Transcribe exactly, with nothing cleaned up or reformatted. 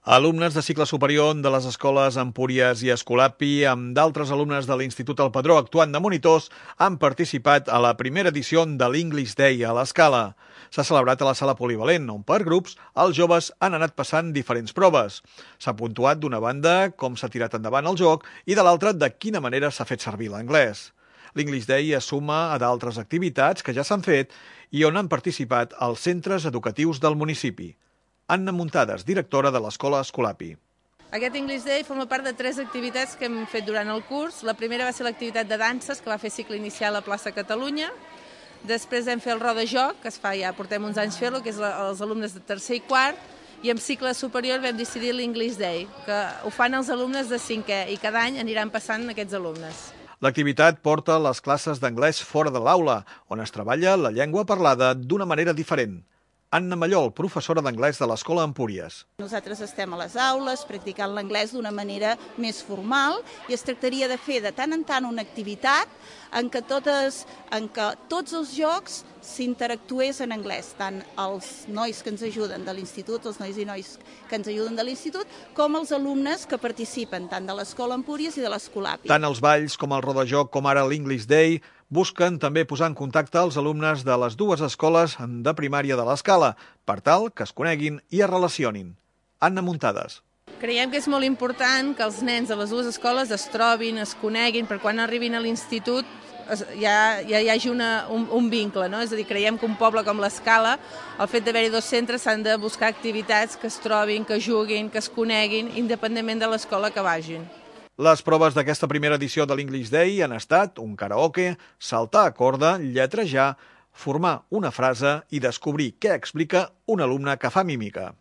Alumnes de cicle superior de les escoles Empúries i Escolapi, amb d'altres alumnes de l'Institut El Padró actuant de monitors, han participat a la primera edició de l'English Day a l'Escala. S'ha celebrat a la sala polivalent, on per grups els joves han anat passant diferents proves. S'ha puntuat d'una banda com s'ha tirat endavant el joc i de l'altra de quina manera s'ha fet servir l'anglès. L'English Day es suma a d'altres activitats que ja s'han fet i on han participat els centres educatius del municipi. Anna Muntades, directora de l'Escola Escolapi. Aquest English Day forma part de tres activitats que hem fet durant el curs. La primera va ser l'activitat de danses, que va fer cicle inicial a Plaça Catalunya. Després vam fer el rodajoc, que es fa ja, portem uns anys fer-lo, que és els alumnes de tercer i quart. I en cicle superior vam decidir l'English Day, que ho fan els alumnes de cinquè i cada any aniran passant aquests alumnes. L'activitat porta les classes d'anglès fora de l'aula, on es treballa la llengua parlada d'una manera diferent. Anna Mallol, professora d'anglès de l'Escola Empúries. Nosaltres estem a les aules practicant l'anglès d'una manera més formal i es tractaria de fer de tant en tant una activitat en què, totes, en què tots els jocs s'interactués en anglès, tant els nois que ens ajuden de l'institut, els nois i nois que ens ajuden de l'institut, com els alumnes que participen tant de l'Escola Empúries i de l'Escolapi. Tant els balls com el rodajoc com ara l'English Day busquen també posar en contacte els alumnes de les dues escoles de primària de l'Escala, per tal que es coneguin i es relacionin. Anna Muntades. Creiem que és molt important que els nens de les dues escoles es trobin, es coneguin, per quan arribin a l'institut ja, ja hi hagi una, un, un vincle, no? És a dir, creiem que un poble com l'Escala, el fet d'haver-hi dos centres, s'han de buscar activitats que es trobin, que juguin, que es coneguin, independentment de l'escola que vagin. Les proves d'aquesta primera edició de l'English Day han estat un karaoke, saltar a corda, lletrejar, formar una frase i descobrir què explica un alumne que fa mímica.